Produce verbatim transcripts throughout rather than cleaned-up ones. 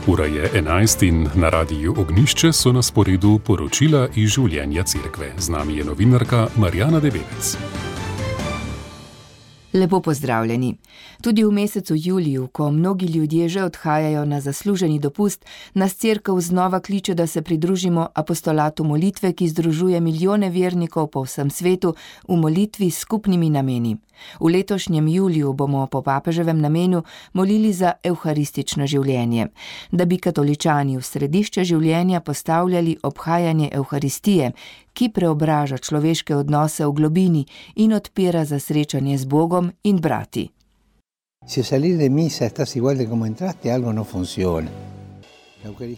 Ura je enajst in na radiju Ognjišče so na sporedu poročila iz življenja cerkve. Z nami je novinarka Marjana Debevec. Lepo pozdravljeni. Tudi v mesecu juliju, ko mnogi ljudje že odhajajo na zasluženi dopust, nas cerkev znova kliče, da se pridružimo apostolatu molitve, ki združuje milijone vernikov po vsem svetu v molitvi s skupnimi nameni. V letošnjem juliju bomo po papeževem namenu molili za evharistično življenje, da bi katoličani v središče življenja postavljali obhajanje evharistije, ki preobraža človeške odnose v globini in odpira za srečanje z Bogom in brati.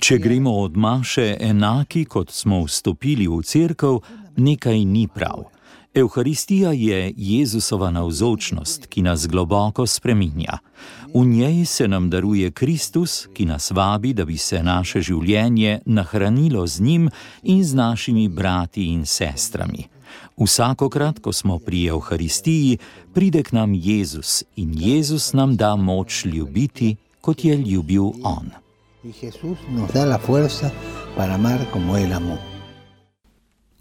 Če gremo od maše enaki, kot smo vstopili v cerkev, nekaj ni prav. Evharistija je Jezusova navzočnost, ki nas globoko spreminja. V njej se nam daruje Kristus, ki nas vabi, da bi se naše življenje nahranilo z njim in z našimi brati in sestrami. Vsakokrat, ko smo pri Evharistiji, pride k nam Jezus in Jezus nam da moč ljubiti, kot je ljubil on.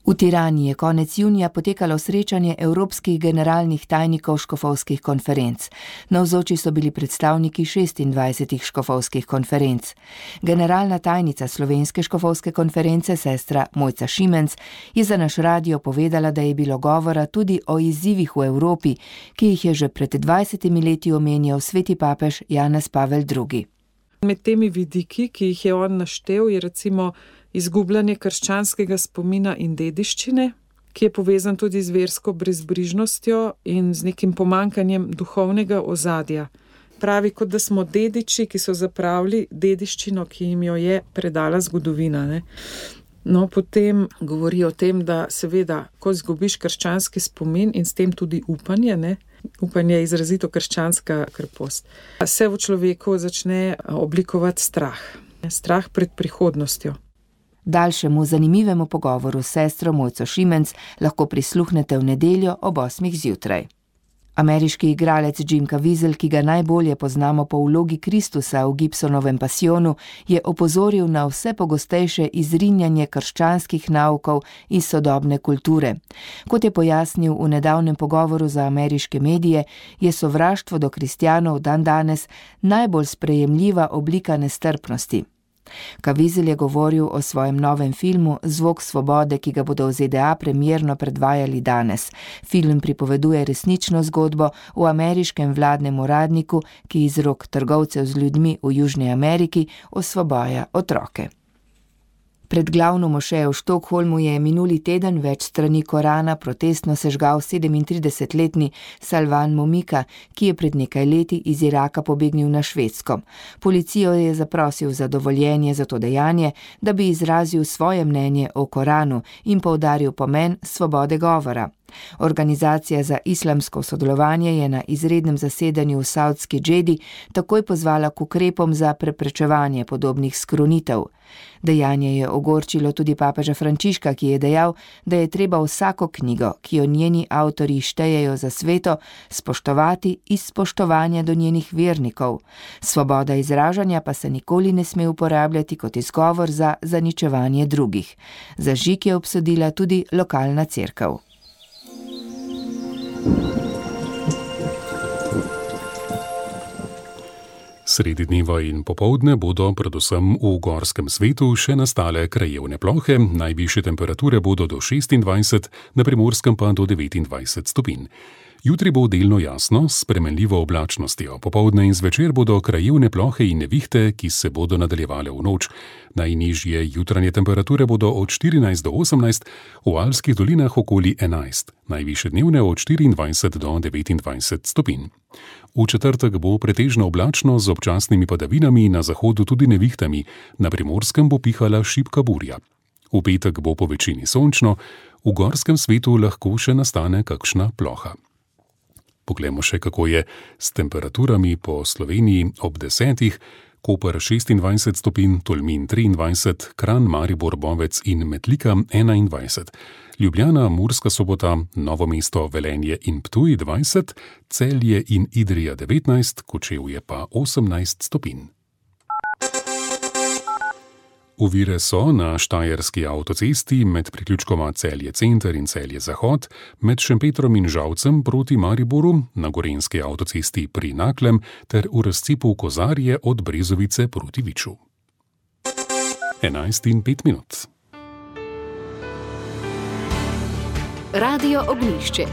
V Tirani je konec junija potekalo srečanje evropskih generalnih tajnikov škofovskih konferenc. Navzoči so bili predstavniki šestindvajsetih škofovskih konferenc. Generalna tajnica Slovenske škofovske konference, sestra Mojca Šimenc, je za naš radio povedala, da je bilo govora tudi o izzivih v Evropi, ki jih je že pred dvajsetimi leti omenjal sveti papež Janez Pavel drugi. Med temi vidiki, ki jih je on naštel, je recimo izgubljanje krščanskega spomina in dediščine, ki je povezan tudi z versko brezbrižnostjo in z nekim pomankanjem duhovnega ozadja. Pravi, kot da smo dediči, ki so zapravili dediščino, ki jim jo je predala zgodovina. Ne? No, potem govori o tem, da seveda, ko izgubiš krščanski spomin in s tem tudi upanje, ne? Upanje je izrazito krščanska krpost, se v človeku začne oblikovati strah. Strah pred prihodnostjo. Daljšemu zanimivemu pogovoru s sestro Mojco Šimenc lahko prisluhnete v nedeljo ob osmih zjutraj. Ameriški igralec Jim Caviezel, ki ga najbolje poznamo po vlogi Kristusa v Gibsonovem Pasijonu, je opozoril na vse pogostejše izrinjanje krščanskih naukov iz sodobne kulture. Kot je pojasnil v nedavnem pogovoru za ameriške medije, je sovraštvo do kristjanov dandanes najbolj sprejemljiva oblika nestrpnosti. Caviezel je govoril o svojem novem filmu Zvok svobode, ki ga bodo v Z D A premierno predvajali danes. Film pripoveduje resnično zgodbo o ameriškem vladnem uradniku, ki iz rok trgovcev z ljudmi v Južni Ameriki osvobaja otroke. Pred glavno mošejo v Štokholmu je minuli teden več strani Korana protestno sežgal sedemintridesetletni Salvan Momika, ki je pred nekaj leti iz Iraka pobegnil na Švedsko. Policijo je zaprosil za dovoljenje za to dejanje, da bi izrazil svoje mnenje o Koranu in poudaril pomen svobode govora. Organizacija za islamsko sodelovanje je na izrednem zasedanju v Saudski Džedi takoj pozvala k ukrepom za preprečevanje podobnih skrunitev. Dejanje je ogorčilo tudi papeža Frančiška, ki je dejal, da je treba vsako knjigo, ki jo njeni avtorji štejejo za sveto, spoštovati iz spoštovanja do njenih vernikov. Svoboda izražanja pa se nikoli ne sme uporabljati kot izgovor za zaničevanje drugih. Zažig je obsodila tudi lokalna cerkev. Sredi dneva in popoldne bodo predvsem v gorskem svetu še nastale krajevne plohe, najvišje temperature bodo do šestindvajset, na Primorskem pa do devetindvajset stopinj. Jutri bo delno jasno, s spremenljivo oblačnostjo. Popoldne in zvečer bodo krajevne plohe in nevihte, ki se bodo nadaljevale v noč. Najnižje jutranje temperature bodo od štirinajst do osemnajst, v Alpskih dolinah okoli enajst, najvišje dnevne od štiriindvajset do devetindvajset stopinj. V četrtek bo pretežno oblačno z občasnimi padavinami, na zahodu tudi nevihtami, na Primorskem bo pihala šibka burja. V petek bo po večini sončno, v gorskem svetu lahko še nastane kakšna ploha. Poglejmo še, kako je s temperaturami po Sloveniji ob desetih. Koper šestindvajset stopinj, Tolmin triindvajset, Kranj, Maribor, Bovec in Metlika enaindvajset. Ljubljana, Murska Sobota, Novo mesto, Velenje in Ptuj dvajset, Celje in Idrija devetnajst, Kočevje pa osemnajst stopinj. Ovire so na Štajerski avtocesti med priključkoma Celje Center in Celje Zahod, med Šempetrom in Žalcem proti Mariboru, na Gorenjski avtocesti pri Naklem ter v razcepu Kozarje od Brezovice proti Viču. enajst in pet minut. Radio Ognjišče.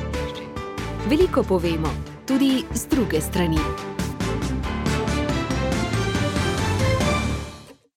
Veliko povemo, tudi z druge strani.